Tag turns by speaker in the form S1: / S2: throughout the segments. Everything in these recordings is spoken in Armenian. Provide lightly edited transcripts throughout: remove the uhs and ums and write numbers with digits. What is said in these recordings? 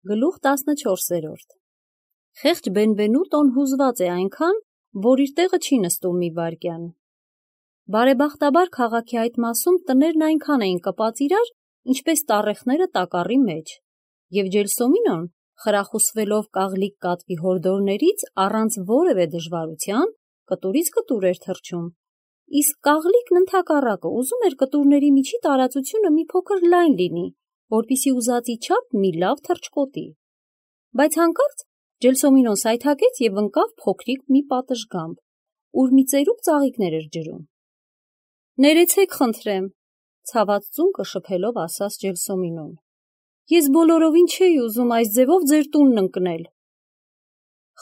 S1: Գլուխ 14. Խեղճ Բենվենուտոն հուզված է այնքան, որ իր տեղը չի նստում մի վայրկյան։ Բարեբախտաբար քաղաքի այդ մասում տներն այնքան էին կպած իրար, ինչպես տառեխները տակառի մեջ, և Ջելսոմինոն, խրախուսվելով կաղլիկ կատվի հորդորներից, առանց որևէ դժվարության, կտուրից կտուր էր թռչում, իսկ կաղլիկն ընդհակառակը ուզում էր կտուրների միջի տարածությունը մի փոքր լայն լինի, որպեսզի ուզածի չափ մի լավ թռչկոտի։ Բայց հանկարծ Ջելսոմինոն սայթաքեց և ընկավ փոքրիկ մի պատշգամբ, ուր մի ծերուկ ծաղիկներ էր ջրում։ «Ներեցեք խնդրեմ», ցաված ծունկը շփելով ասաց Ջելսոմինոն, «ես բոլորովին չէի ուզում այս ձևով ձեր տունն ընկնել»։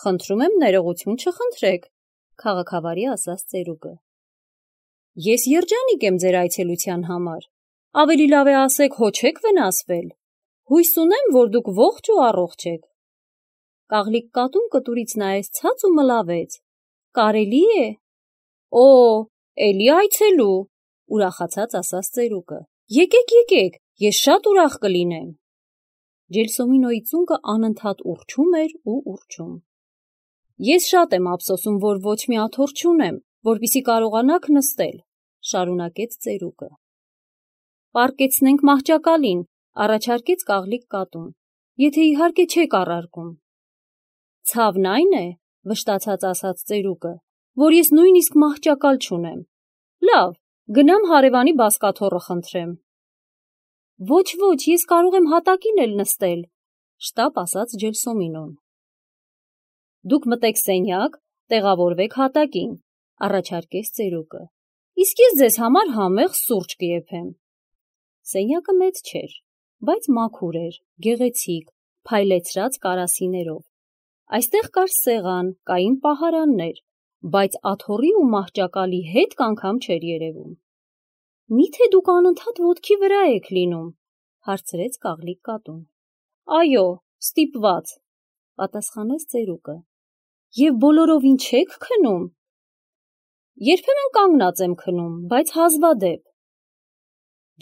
S1: «Խնդրում եմ ներողություն չխնդրեք», քաղաքավարի ասաց ծերուկը։ «Ես երջանիկ եմ ձեր այցելության համար, ավելի լավ է ասեք հո չեք վնասվել, հույս ունեմ, որ դուք ողջ ու առողջ եք»։ Կաղլիկ կատուն կտուրից նայեց ցած ու մլավեց. «Կարելի է»։ «Օ, էլի այցելու», ուրախացած ասաց ծերուկը։ «Եկեք, ես շատ ուրախ կլինեմ»։ Ջելսոմինոյի ծունկը անընդհատ ուռչում էր ու ուռչում։ «Ես շատ եմ ափսոսում, որ ոչ մի աթոռ չունեմ, որպեսզի կարողանաք նստել», շարունակեց ծերուկը։ «Պառկեցնենք մահճակալին», առաջարկեց կաղլիկ կատուն, «եթե իհարկե չեք առարկում»։ «Ցավն այն է, վշտացած ասաց ծերուկը, որ ես նույնիսկ մահճակալ չունեմ։ Լավ, գնամ հարևանի բազկաթոռը խնդրեմ»։ «Ոչ, ես կարող եմ հատակին էլ նստել», շտապ ասաց Ջելսոմինոն։ «Դուք մտեք սենյակ, տեղավորվեք հատակին», առաջարկեց ծերուկը, «իսկ ես ձեզ համար համեղ սուրճ կեփեմ»։ Սենյակը մեծ չէր, բայց մաքուր էր, գեղեցիկ, փայլեցրած կարասիներով։ Այստեղ կար սեղան, կային պահարաններ, բայց աթոռի ու մահճակալի հետք անգամ չէր երևում։ «Մի՞թե դուք անընդհատ ոտքի վրա եք լինում», հարցրեց կաղլիկ կատուն։ «Այո, ստիպված», պատասխանեց ծերուկը։ «Եվ բոլորովին չեք քնում»։ «Երբեմն կանգնած եմ քնում, բայց հազվադեպ»։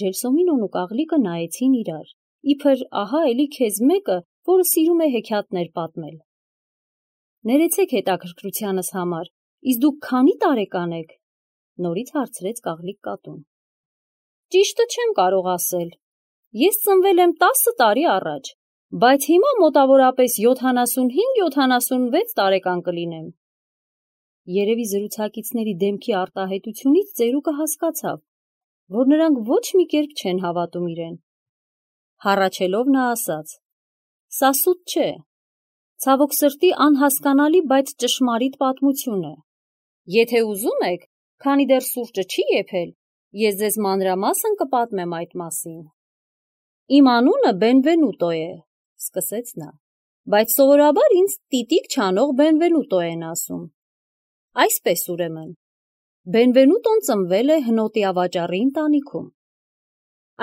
S1: Ջելսոմինոն ու կաղլիկը նայեցին իրար, իբր ահա էլի քեզ մեկը, որը սիրում է հեքիաթներ պատմել։ «Ներեցեք հետաքրքրությանս համար, իսկ դուք քանի տարեկան եք», նորից հարցրեց կաղլիկ կատուն։ «Ճիշտը չեմ կարող ասել, ես ծնվել եմ 10 տարի առաջ, բայց հիմա մոտավորապես 75-76 տարեկան կլինեմ»։ Երևի զրուցակիցների դեմքի արտահայտությունից ծերուկը հասկացավ, որ նրանք ոչ մի կերպ չեն հավատում իրեն։ Հառաչելով նա ասաց. «Սա սուտ չէ, ցավոք սրտի անհասկանալի, բայց ճշմարիտ պատմություն է։ Եթե ուզում եք, քանի դեռ սուրճը չի եփել, ես ձեզ մանրամասն կպատմեմ այդ մասին»։ «Իմ անունը Բենվենուտո է», սկսեց նա, «բայց սովորաբար ինձ տիտիկ չանող Բենվենուտո են ասում։ Այսպես ուրեմն, Բենվենուտոն ծնվել է հնոտի ավաճառի ընտանիքում։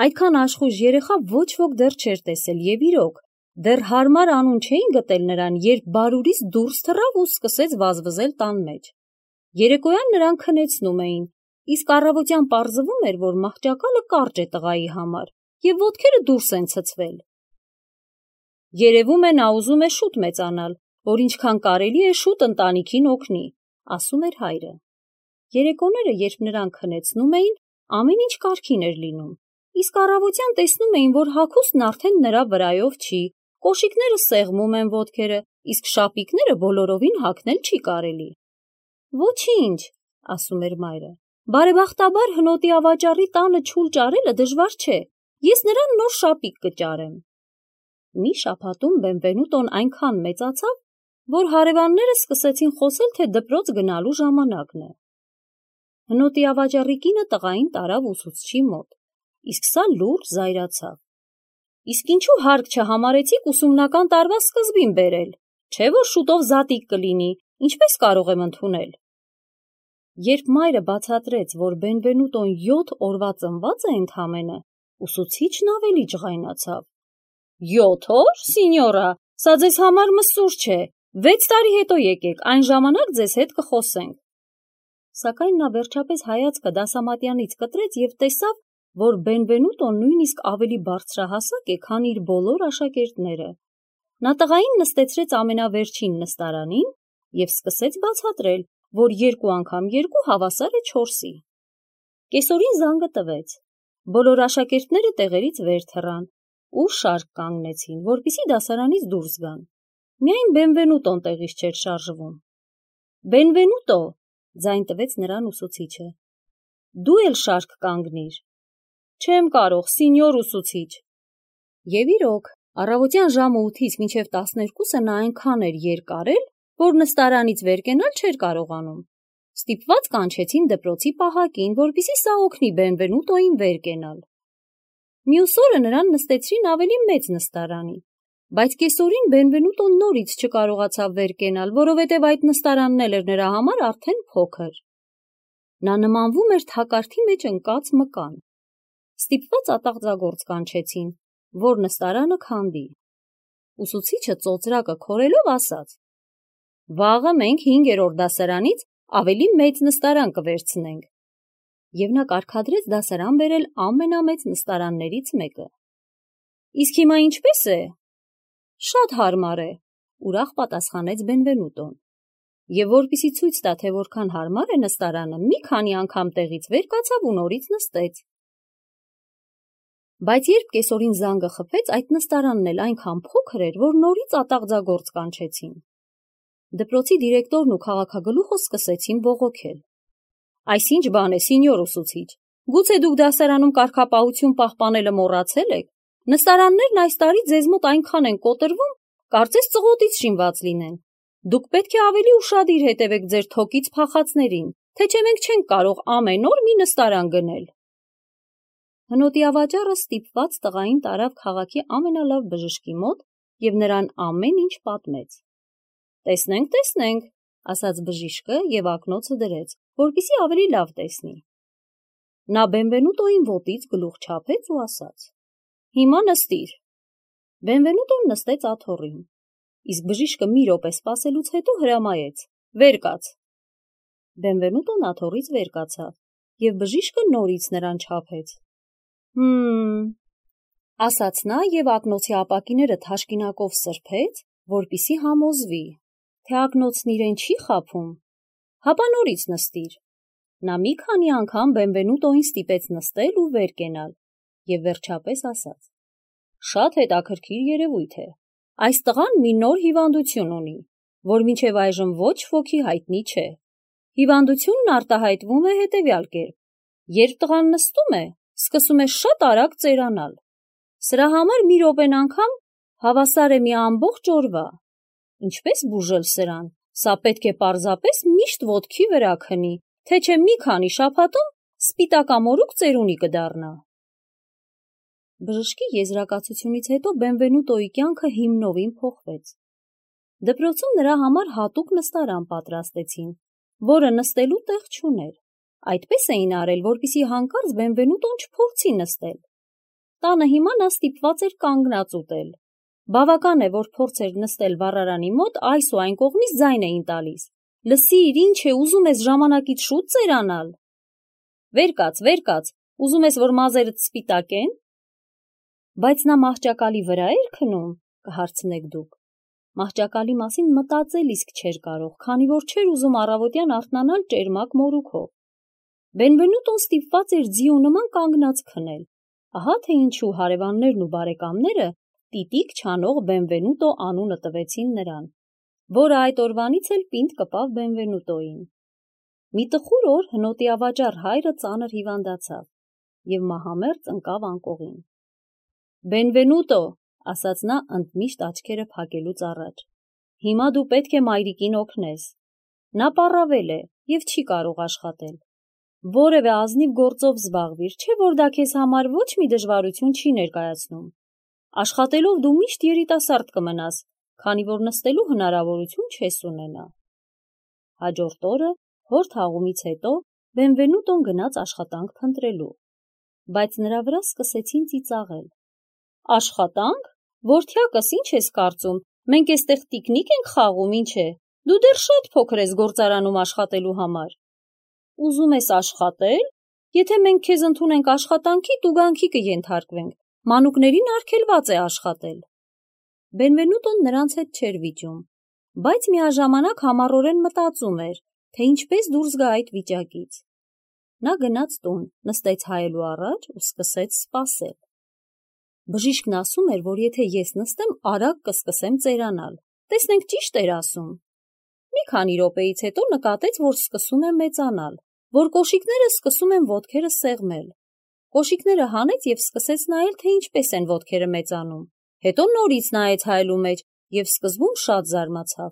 S1: Այդքան աշխույժ երեխա ոչ ոք դեռ չէր տեսել, և իրոք, դեռ հարմար անուն չէին գտել նրան, երբ բարուրից դուրս թռավ ու սկսեց վազվզել տան մեջ։ Երեկոյան նրան քնեցնում էին, իսկ առավոտյան պարզվում էր, որ մահճակալը կարճ է տղայի համար, և ոտքերը դուրս են ցցվել։ Երևում է նա ուզում է շուտ մեծանալ, որ ինչքան կարելի է շուտ ընտանիքին օգնի, ասում էր հայրը։ Երեկոները, երբ նրան քնեցնում էին, ամեն ինչ կարգին էր լինում, իսկ առավոտյան տեսնում էին, որ հագուստն արդեն նրա վրայով չի, կոշիկները սեղմում են ոտքերը, իսկ շապիկները բոլորովին հագնել չի կարելի։ «Ոչինչ», ասում էր մայրը, «բարեբախտաբար հնոտի ավաճառի տանը չուլ ճարելը դժվար չէ, ես նրան նոր շապիկ կճարեմ»։ Մի շաբաթում Բենվենուտոն այնքան մեծացավ, որ հարևանները սկսեցին խոսել, թե դպրոց գնալու ժամանակն է։ Հնոտի ավաճառի կինը տղային տարավ ուսուցչի մոտ, իսկ սա լուրջ զայրացավ։ «Իսկ ինչու հարկ չհամարեցիք ուսումնական տարվա սկզբին բերել, չէ՞ որ շուտով զատիկ կլինի, ինչպես կարող եմ ընդունել»։ Երբ մայրը բացատրեց, որ Բենվենուտոն 7 օրվա ծնված է ընդամենը, ուսուցիչն ավելի ջղայնացավ։ «7 օր, սինյորա, սա ձեզ համար մսուր չէ, 6 տարի հետո եկեք, այն ժամանակ ձեզ հետ կխոսենք»։ Սակայն նա վերջապես հայացքը դասամատյանից կտրեց և տեսավ, որ Բենվենուտոն նույնիսկ ավելի բարձրահասակ է, քան իր բոլոր աշակերտները։ Նա տղային նստեցրեց ամենավերջին նստարանին և սկսեց բացատրել, որ 2 անգամ 2 հավասար է 4-ի։ Կեսօրին զանգը տվեց։ Բոլոր աշակերտները տեղերից վեր թռան ու շարք կանգնեցին, որպեսզի դասարանից դուրս գան։ Միայն Բենվենուտոն տեղից չէր շարժվում։ Բենվենուտո, ձայն տվեց նրան ուսուցիչը։ Դու էլ շարք կանգնիր։ Չեմ կարող, սինյոր ուսուցիչ։ Եվ իրոք, առավոտյան ժամը 8-ից մինչև 12-ը նա այնքան էր երկարել, որ նստարանից վեր կենալ չէր կարողանում։ Ստիպված կանչեցին դպրոցի պահակին, որպեսզի սա օգնի Բենվենուտոին վեր կենալ։ Մյուս օրը նրան նստեցրին ավելի մեծ նստարանի, բայց կեսօրին Բենվենուտոն նորից չկարողացավ վեր կենալ, որովհետև այդ նստարանն էլ էր նրա համար արդեն փոքր։ Նա նմանվում էր թակարդի մեջ ընկած մկան։ Ստիպված ատաղձագործ կանչեցին, որ նստարանը քանդի։ Ուսուցիչը ծոծրակը քորելով ասաց. «Վաղը մենք 5-րդ դասարանից ավելի մեծ նստարան կվերցնենք»։ Եվ նա կարգադրեց դասարան բերել ամենամեծ նստարաններից մեկը։ Իսկ հիմա ինչպե՞ս է։ Շատ հարմար է, ուրախ պատասխանեց Բենվենուտոն։ Եվ որպեսզի ցույց տա, թե որքան հարմար է նստարանը, մի քանի անգամ տեղից վեր կացավ ու նորից նստեց։ Բայց երբ կեսօրին զանգը խփեց, այդ նստարանն էլ այնքան փոքր էր, որ նորից ատաղձագործ կանչեցին։ Դպրոցի դիրեկտորն ու քաղաքագլուխը սկսեցին բողոքել։ Այս ինչ բան է, սինյոր ուսուցիչ, գուցե դուք դասարանում կարգապահություն պահպանելը մոռացել եք։ Նստարաններն այս տարի ձեզ մոտ այնքան են կոտրվում, կարծես ծղոտից շինված լինեն։ Դուք պետք է ավելի ուշադիր հետևեք ձեր թոկից փախածներին, թե չէ մենք չենք կարող ամեն օր մի նստարան գնել։ Հնոտի ավաճառը ստիպված տղային տարավ քաղաքի ամենալավ բժշկի մոտ և նրան ամեն ինչ պատմեց։ Տեսնենք, ասաց բժիշկը և ակնոցը դրեց, որպեսզի ավելի լավ տեսնի։ Նա Բենվենուտոին ոտից գլուխ չափեց ու ասաց. «Հիմա նստիր»։ Բենվենուտոն նստեց աթոռին, իսկ բժիշկը մի րոպե սպասելուց հետո հրամայեց. «Վեր կաց»։ Բենվենուտոն աթոռից վեր կացավ, և բժիշկը նորից նրան չափեց։ Ասաց նա և ակնոցի ապակիները թաշկինակով սրբեց, որպեսզի համոզվի, թե ակնոցն իրեն չի խաբում, հապա նորից նստիր։ Նա մի քանի անգամ Բենվենուտոին ստիպեց նստել ու վեր կենալ և վերջապես ասաց. «Շատ հետաքրքիր երևույթ է։ Այս տղան մի նոր հիվանդություն ունի, որ մինչև այժմ ոչ ոքի հայտնի չէ։ Հիվանդությունն արտահայտվում է հետևյալ կերպ. երբ տղան նստում է, սկսում է շատ արագ ծերանալ։ Սրա համար մի րոպեն անգամ հավասար է մի ամբողջ օրվա։ Ինչպես բուժել սրան, սա պետք է պարզապես միշտ ոտքի վրա քնի, թե չէ մի քանի շաբաթում սպիտակամորուք ծերունի կդառնա»։ Բժշկի եզրակացությունից հետո Բենվենուտոյի կյանքը հիմնովին փոխվեց։ Դպրոցում նրա համար հատուկ նստարան պատրաստեցին, որը նստելու տեղ չուներ։ Այդպես էին արել, որպեսզի հանկարծ Բենվենուտոն չփորձի նստել։ Տանը հիմա նա ստիպված էր կանգնած ուտել։ Բավական է, որ փորձեր նստել վառարանի մոտ, այս ու այն կողմից ձայն էին տալիս. «Լսիր, ինչ է, ուզում ես ժամանակից շուտ ծերանալ»։ Վեր կաց, ուզում ես, որ մազերդ սպիտակեն։ Բայց նա մահճակալի վրա էր քնում, կհարցնեք դուք։ Մահճակալի մասին մտածել իսկ չէր կարող, քանի որ չէր ուզում առավոտյան արթնանալ ճերմակ մորուքով։ Բենվենուտոն ստիպված էր ձիու նման կանգնած քնել։ Ահա թե ինչու հարևաններն ու բարեկամները տիտիկ չանող Բենվենուտո անունը տվեցին նրան, որը այդ օրվանից էլ պինդ կպավ Բենվենուտոյին։ Մի տխուր օր հնոտի ավաճառ հայրը ծանր հիվանդացավ և մահամերձ ընկավ անկողին։ «Բենվենուտո», ասաց նա ընդմիշտ աչքերը փակելուց առաջ, «հիմա դու պետք է մայրիկին օգնես։ Նա պառավել է և չի կարող աշխատել։ Որևէ ազնիվ գործով զբաղվիր, չէ՞ որ դա քեզ համար ոչ մի դժվարություն չի ներկայացնում։ Աշխատելով դու միշտ երիտասարդ կմնաս, քանի որ նստելու հնարավորություն չես ունենա»։ Հաջորդ օրը, հոր թաղումից հետո, Բենվենուտոն գնաց աշխատանք փնտրելու, բայց նրա վրա սկսեցին ծիծաղել։ «Աշխատանք, որդյակս, ինչ ես կարծում, մենք էստեղ տիկնիկ ենք խաղում, ինչ է, դու դեռ շատ փոքր ես գործարանում աշխատելու համար։ Ուզում ես աշխատել, եթե մենք քեզ ընդունենք աշխատանքի, տուգանքի կենթարկվենք, մանուկներին արգելված է աշխատել»։ Բենվենուտոն նրանց հետ չէր վիճում, բայց միաժամանակ համառորեն մտածում էր, թե ինչպես դուրս գա այդ վիճակից։ Նա գնաց տուն, նստեց հայելու առաջ ու սկսեց սպասել։ Բժիշկն ասում էր, որ եթե ես նստեմ, արագ կսկսեմ ծերանալ։ Տեսնենք ճիշտ էր ասում։ Մի քանի րոպեից հետո նկատեց, որ սկսում եմ մեծանալ, որ կոշիկները սկսում են ոտքերը սեղմել։ Կոշիկները հանեց և սկսեց նայել, թե ինչպես են ոտքերը մեծանում։ Հետո նորից նայեց հայելու մեջ և սկզբում շատ զարմացավ։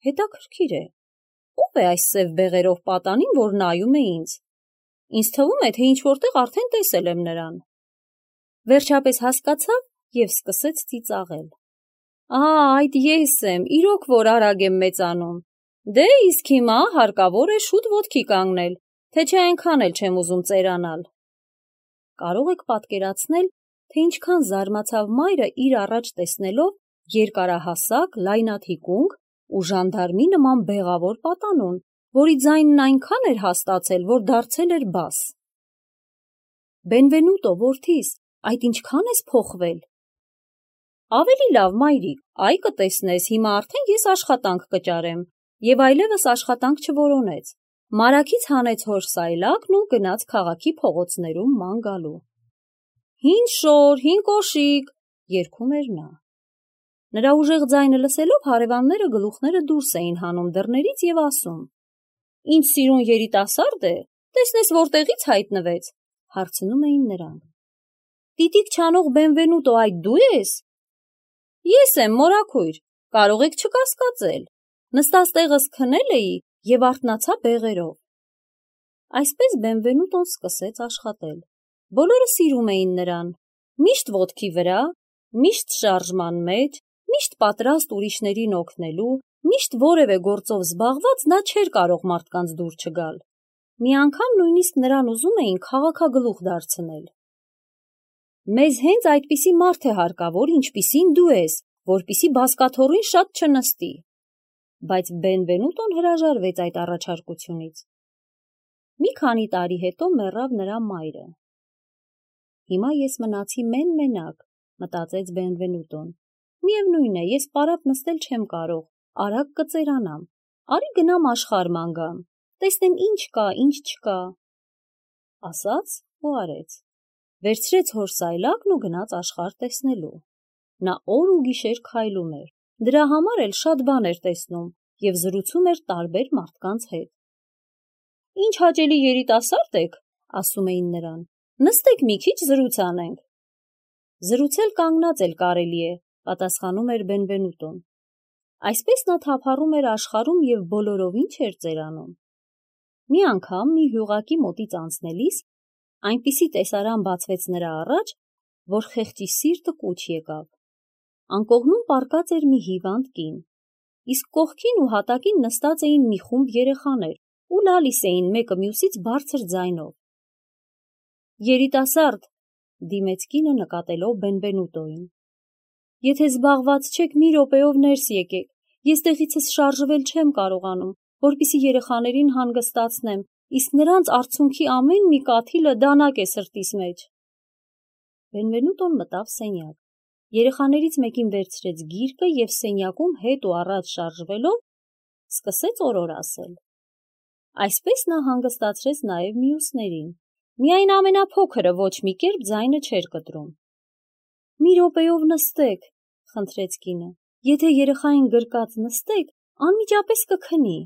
S1: Հետաքրքիր է, ո՞վ է այս սև բեղերով պատանին, որ նայում է ինձ։ Ինձ թվում է, թե ինչ-որտեղ արդեն տեսել եմ նրան։ Վերջապես հասկացավ և սկսեց ծիծաղել։ Այդ ես եմ, իրոք որ արագ եմ մեծանում։ Դե իսկ հիմա հարկավոր է շուտ ոտքի կանգնել, թե չէ այնքան էլ չեմ ուզում ծերանալ։ Կարող եք պատկերացնել, թե ինչքան զարմացավ մայրը իր առաջ տեսնելով երկարահասակ, լայնաթիկունք ու ժանդարմի նման բեղավոր պատանուն, որի ձայնն այնքան էր հաստացել, որ դարձել էր բաս։ Բենվենուտո, որդիս, այդ ինչքան ես փոխվել։ Ավելի լավ, մայրիկ, այ կտեսնես, հիմա արդեն ես աշխատանք կճարեմ, և այլևս աշխատանք չորոնեց։ Մարաքից հանեց հոր սայլակն ու գնաց քաղաքի փողոցներում ման գալու։ Հին շոր, հին կոշիկ, երգում էր նա։ Նրա ուժեղ ձայնը լսելով հարևանները գլուխները դուրս էին հանում դռներից և ասում. Ինչ սիրուն երիտասարդ է, տեսնես որտեղից հայտնվեց, հարցնում էին նրանք։ Տիտիկ չանող Բենվենուտո, այդ դու ես։ Ես եմ, մորաքույր, կարող եք չկասկածել։ Նստած տեղս քնել էի և արթնացա բեղերով։ Այսպես Բենվենուտոն սկսեց աշխատել։ Բոլորը սիրում էին նրան, միշտ ոտքի վրա, միշտ շարժման մեջ, միշտ պատրաստ ուրիշներին օգնելու, միշտ որևէ գործով զբաղված նա չէր կարող մարդկանց դուր չգալ։ Մի անգամ նույնիսկ նրան ուզում էին քաղաքագլուխ դարձնել։ Մեզ հենց այդպիսի մարդ է հարկավոր, ինչպիսին դու ես, որպիսի բազկաթոռին շատ չնստի։ Բայց Բենվենուտոն հրաժարվեց այդ առաջարկությունից։ Մի քանի տարի հետո մեռավ նրա մայրը։ Հիմա ես մնացի մեն-մենակ, մտածեց Բենվենուտոն։ Միևնույն է, ես պարապ նստել չեմ կարող, արագ կծերանամ, արի գնամ աշխարհ ման գամ, տեսնեմ ինչ կա, ինչ չկա։ Ասաց ու արեց։ Վերցրեց հոր սայլակն ու գնաց աշխարհ տեսնելու։ Նա օր ու գիշեր քայլում էր, դրա համար էլ շատ բան էր տեսնում և զրուցում էր տարբեր մարդկանց հետ։ Ինչ հաճելի երիտասարդ եք, ասում էին նրան, նստեք մի քիչ զրույց անենք։ Զրուցել կանգնած էլ կարելի է, պատասխանում էր Բենվենուտոն։ Այսպես նա թափառում էր աշխարհում և բոլորովին չէր ծերանում։ Մի անգամ մի հյուղակի մոտից անցնելիս այնպիսի տեսարան բացվեց նրա առաջ, որ խեղճի սիրտը կուչ եկավ։ Անկողնում պառկած էր մի հիվանդ կին, իսկ կողքին ու հատակին նստած էին մի խումբ երեխաներ ու լալիս էին մեկը մյուսից բարձր ձայնով։ Երիտասարդ, դիմեց կինը նկատելով Բենվենուտոին։ Եթե զբաղված չեք, մի րոպեով ներս եկեք, ես տեղիցս շարժվել չեմ կարողանում, որպեսզի երեխաներին հանգստացնեմ, իսկ նրանց արցունքի ամեն մի կաթիլը դանակ է սրտիս մեջ։ Բենվենուտոն մտավ սենյակ։ Երեխաներից մեկին վերցրեց գիրկը և սենյակում հետ ու առաջ շարժվելով սկսեց օրոր ասել։ Այսպես նա հանգստացրեց նաև մյուսներին։ Միայն ամենափոքրը ոչ մի կերպ ձայնը չէր կտրում։ Մի րոպեով նստեք, խնդրեց կինը։ Եթե երեխային գրկած նստեք, անմիջապես կքնի։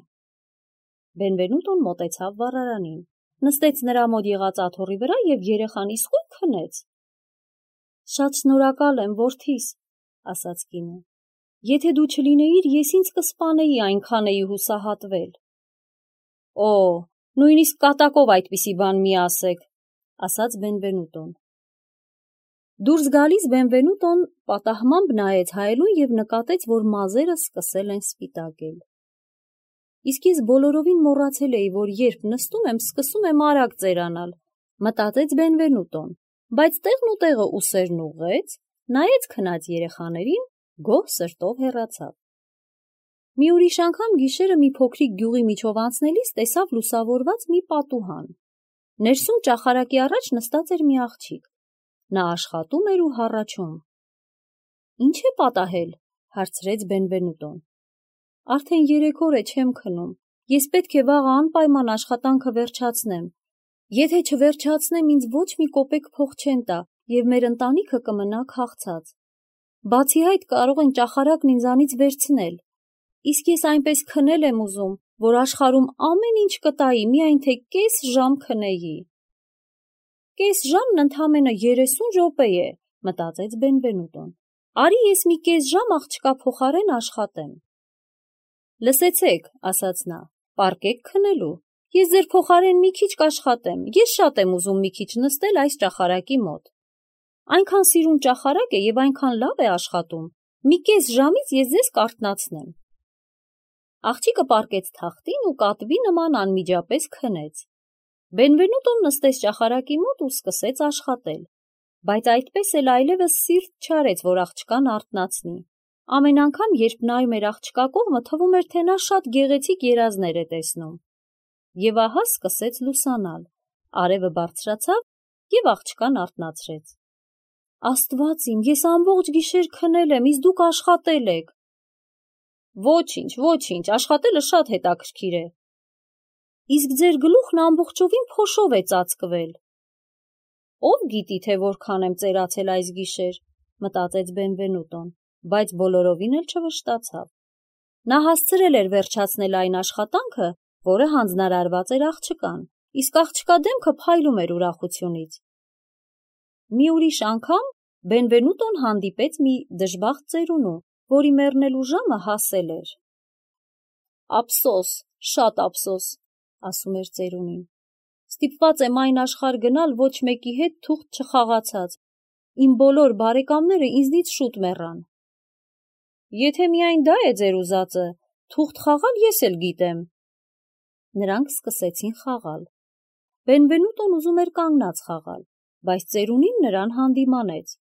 S1: Բենվենուտոն մոտեցավ վառարանին, նստեց նրա մոտ եղած աթոռի վրա և երեխան իսկույն քնեց։ Շատ շնորհակալ եմ, որդիս, ասաց կինը։ Եթե դու չլինեիր, ես ինձ կսպանեի, այնքան էի հուսահատվել։ Օ, նույնիսկ կատակով այդպիսի բան մի ասեք, ասաց Բենվենուտոն։ Դուրս գալիս Բենվենուտոն պատահմամբ նայեց հայելուն և նկատեց, որ մազերը սկսել են սպիտակել։ Իսկ ես բոլորովին մոռացել էի, որ երբ նստում եմ, սկսում եմ արագ ծերանալ, մտածեց Բենվենուտոն, բայց տեղն ու տեղը ուսերն ուղղեց, նայեց քնած երեխաներին, գոհ սրտով հեռացավ։ Մի ուրիշ անգամ գիշերը մի փոքրիկ գյուղի միջով անցնելիս տեսավ լուսավորված մի պատուհան։ Ներսում ճախարակի առաջ նստած էր մի աղջիկ։ Նա աշխատում էր ու հառաչում։ Ինչ է պատահել, հարցրեց Բենվենուտոն։ Արդեն 3 օր է չեմ քնում, ես պետք է վաղը անպայման աշխատանքը վերջացնեմ։ Եթե չվերջացնեմ, ինձ ոչ մի կոպեկ փող չեն տա և մեր ընտանիքը կմնա քաղցած։ Բացի այդ կարող են ճախարակն ինձանից վերցնել։ Իսկ ես այնպես քնել եմ ուզում, որ աշխարհում ամեն ինչ կտայի, միայն թե կես ժամ քնեի։ Կես ժամն ընդամենը 30 րոպե է, մտածեց Բենվենուտոն։ Արի ես մի կես ժամ աղջկա փոխարեն աշխատեմ։ Լսեցեք, ասաց նա, պառկեք քնելու։ Ես ձեր փոխարեն մի քիչ կաշխատեմ, ես շատ եմ ուզում մի քիչ նստել այս ճախարակի մոտ։ Այնքան սիրուն ճախարակ է և այնքան լավ է աշխատում, մի կես ժամից ես ձեզ կարթնացնեմ։ Աղջիկը պառկեց թախտին ու կատվի նման անմիջապես քնեց։ Բենվենուտոն նստեց ճախարակի մոտ ու սկսեց աշխատել, բայց այդպես էլ այլևս սիրտ չարեց, որ աղջկան արթնացնի։ Ամեն անգամ, երբ նայում էր աղջկա կողմը, թվում էր, թե նա շատ գեղեցիկ երազներ է տեսնում։ Եվ ահա սկսեց լուսանալ, արևը բարձրացավ և աղջկան արթնացրեց։ Աստված իմ, ես ամբողջ գիշեր քնել եմ, իսկ դուք աշխատել եք։ Ոչինչ, աշխատելը շատ հետաքրքիր է։ Իսկ ձեր գլուխն ամբողջովին փոշով է ծածկվել։ Ով գիտի, թե որքան եմ ծերացել այս գիշեր, մտածեց Բենվենուտոն, բայց բոլորովին էլ չվշտացավ։ Նա հասցրել էր վերջացնել այն աշխատանքը, որը հանձնարարված էր աղջկան, իսկ աղջկա դեմքը փայլում էր ուրախությունից։ Մի ուրիշ անգամ Բենվենուտոն հանդիպեց մի դժբախտ ծերունու, որի մեռնելու ժամը հասել էր։ Ափսոս, շատ ափսոս, ասում էր ծերունին։ Ստիպված եմ այն աշխարհ գնալ ոչ մեկի հետ թուղթ չխաղացած։ Իմ բոլոր բարեկամները ինձնից շուտ մեռան։ Եթե միայն դա է ձեր ուզածը, թուղթ խաղալ ես էլ գիտեմ։ Նրանք սկսեցին խաղալ։ Բենվենուտոն ուզում էր կանգնած խաղալ, բայց ծերունին նրան հանդիմանեց։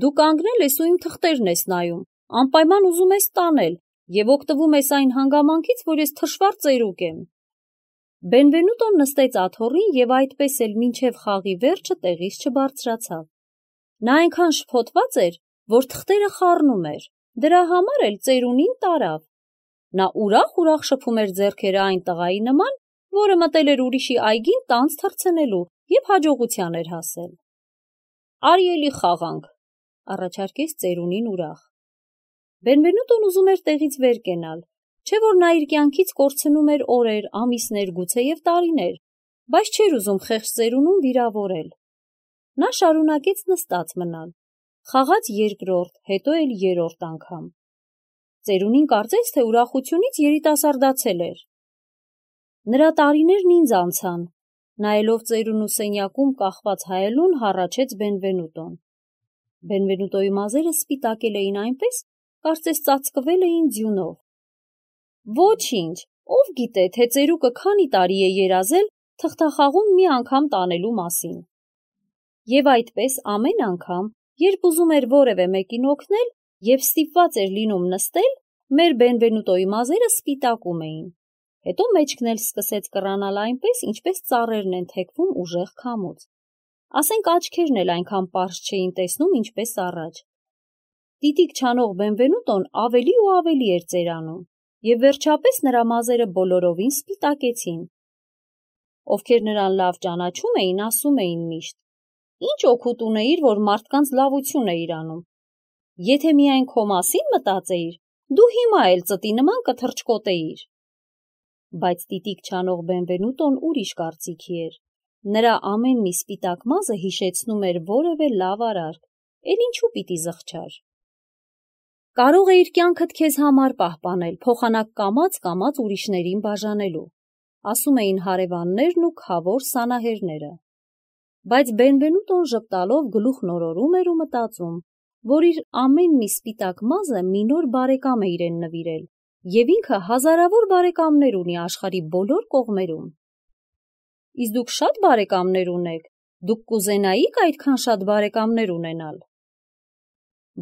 S1: Դու կանգնել ես ու իմ թղթերն ես նայում, անպայման ուզում ես տանել և օգտվում ես այն հանգամանքից, որ ես թշվառ ծերուկ եմ։ Բենվենուտոն նստեց աթոռին և այդպես էլ մինչև խաղի վերջը տեղից չբարձրացավ։ Նա այնքան շփոթված էր, որ թղթերը խառնում էր, դրա համար էլ ծերունին տարավ։ Նա ուրախ շփում էր ձեռքերը այն տղայի նման, որը մտել էր ուրիշի այգին տանձ թռցնելու և հաջողության էր հասել։ Արի էլի խաղանք, առաջարկեց ծերունին ուրախ։ Բենվենուտոն ուզում էր տեղից վեր կենալ, չէ որ նա իր կյանքից կորցնում էր օրեր, ամիսներ, գուցեև տարիներ, բայց չէր ուզում խեղճ ծերունուն վիրավորել։ Նա շարունակեց նստած մնալ, խաղաց երկրորդ, հետո էլ երրորդ անգամ։ Ծերունին կարծեց, թե ուրախությունից երիտասարդացել էր։ Նրա տարիներն ինձ անցան, նայելով ծերունու սենյակում կախված հայելուն, հառաչեց Բենվենուտոն։ Բենվենուտոյի մազերը սպիտակել էին այնպես, կարծես ծածկվել էին ձյունով։ Ոչինչ, ով գիտե, թե ծերուկը քանի տարի է երազել թղթախաղում մի անգամ տանելու մասին։ Եվ այդպես ամեն անգամ, երբ ուզում էր որևէ մեկին օգնել և ստիպված էր լինում նստել, մեր Բենվենուտոյի մազերը սպիտակում էին։ Հետո մեջքն էլ սկսեց կռանալ այնպես, ինչպես ծառերն են թեքվում ուժեղ քամուց։ Ասենք աչքերն էլ այնքան պարզ չէին տեսնում, ինչպես առաջ։ Տիտիկ չանող Բենվենուտոն ավելի ու ավելի էր ծերանում, և վերջապես նրա մազերը բոլորովին սպիտակեցին։ Ովքեր նրան լավ ճանաչում էին, ասում էին միշտ. Ինչ օգուտ ունեիր, որ մարդկանց լավություն էիր անում։ Եթե միայն քո մասին մտածեիր, դու հիմա էլ ծտի նման կթռչկոտեիր։ Բայց տիտիկ չանող Բենվենուտոն ուրիշ կարծիքի էր։ Նրա ամեն մի սպիտակ մազը հիշեցնում էր որևէ լավ արարք, էլ ինչու պիտի զղջար։ Կարող էիր կյանքդ քեզ համար պահպանել, փոխանակ կամաց ուրիշներին բաժանելու, ասում էին հարևաններն ու քավոր սանահերները։ Բայց Բենվենուտոն ժպտալով գլուխ նորորում էր ու մտածում, որ իր ամեն մի սպիտակ մազը մի նոր բարեկամ է իրեն նվիրել, և ինքը հազարավոր բարեկամներ ունի աշխարհի բոլոր կողմերում։ Իսկ դուք շատ բարեկամներ ունեք, դուք կուզենայիք այդքան շատ բարեկամներ ունենալ։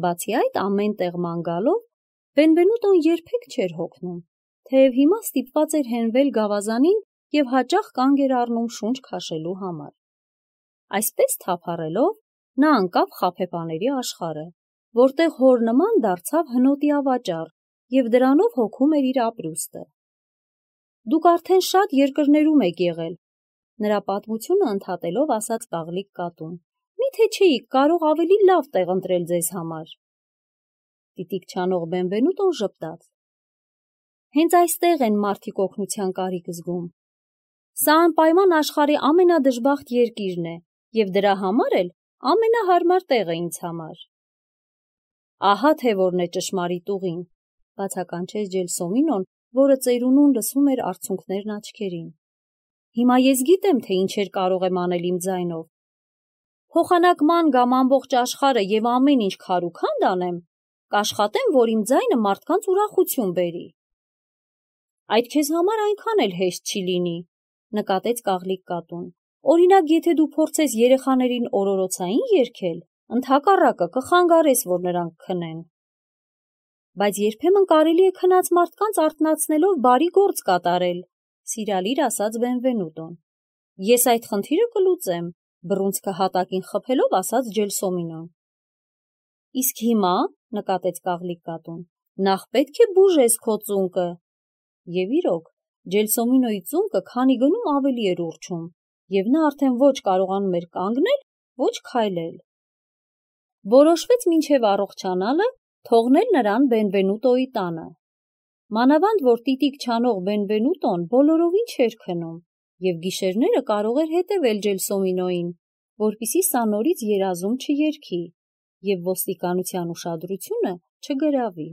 S1: Բացի այդ, ամեն տեղ ման գալով, Բենվենուտոն երբեք չէր հոգնում, թեև հիմա ստիպված էր հենվել գավազանին և հաճախ կանգ էր առնում շունչ քաշելու համար։ Այսպես թափառելով, նա ընկավ խաբեբաների աշխարհը, որտեղ հոր նման դարձավ հնոտի ավաճառ և դրանով հոգում էր իր ապրուստը։ Դուք արդեն շատ երկրներում եք եղել, նրա պատմությունը ընդհատելով ասաց Կաղլիկ կատուն, միթե չէիք կարող ավելի լավ տեղ ընտրել ձեզ համար։ Տիտիկ չանող Բենվենուտոն ժպտաց. Հենց այստեղ են մարդիկ օգնության կարիք զգում։ Սա անպայման աշխարհի ամենադժբախտ երկիրն է, և դրա համար էլ ամենահարմար տեղը ինձ համար։ Ահա թե որն է ճշմարիտ ուղին, բացականչեց Ջելսոմինոն, որը ծերունուն լսում էր արցունքներն աչքերին։ Հիմա ես գիտեմ, թե ինչեր կարող եմ անել իմ ձայնով։ Փոխանակման կամ ամբողջ աշխարհը և ամեն ինչ քարուքանդ անեմ, կաշխատեմ, որ իմ ձայնը մարդկանց ուրախություն բերի։ Այդ քեզ համար այնքան էլ հեշտ չի լինի, նկատեց Կաղլիկ կատուն։ Օրինակ, եթե դու փորձես երեխաներին օրորոցային երգել, ընդհակառակը կխանգարես, որ նրանք քնեն։ Բայց երբեմն կարելի է քնած մարդկանց արթնացնելով բարի գործ կատարել, սիրալիր ասաց Բենվենուտոն։ Ես այդ խնդիրը կլուծեմ, բռունցքը հատակին խփելով ասաց Ջելսոմինոն։ Իսկ հիմա, նկատեց Կաղլիկ կատուն, նախ պետք է բուժես քո ծունկը։ Եվ իրոք, Ջելսոմինոյի ծունկը քանի գնում ավելի էր ուռչում, և նա արդեն ոչ կարողանում էր կանգնել, ոչ քայլել։ Որոշվեց մինչև առողջանալը թողնել նրան Բենվենուտոյի տանը։ Մանավանդ, որ տիտիկ չանող Բենվենուտոն բոլորովին չէր քնում, և գիշերները կարող էր հետևել Ջելսոմինոյին, որպեսզի սա նորից երազում չերգի, և ոստիկանության ուշադրությունը չգրավի։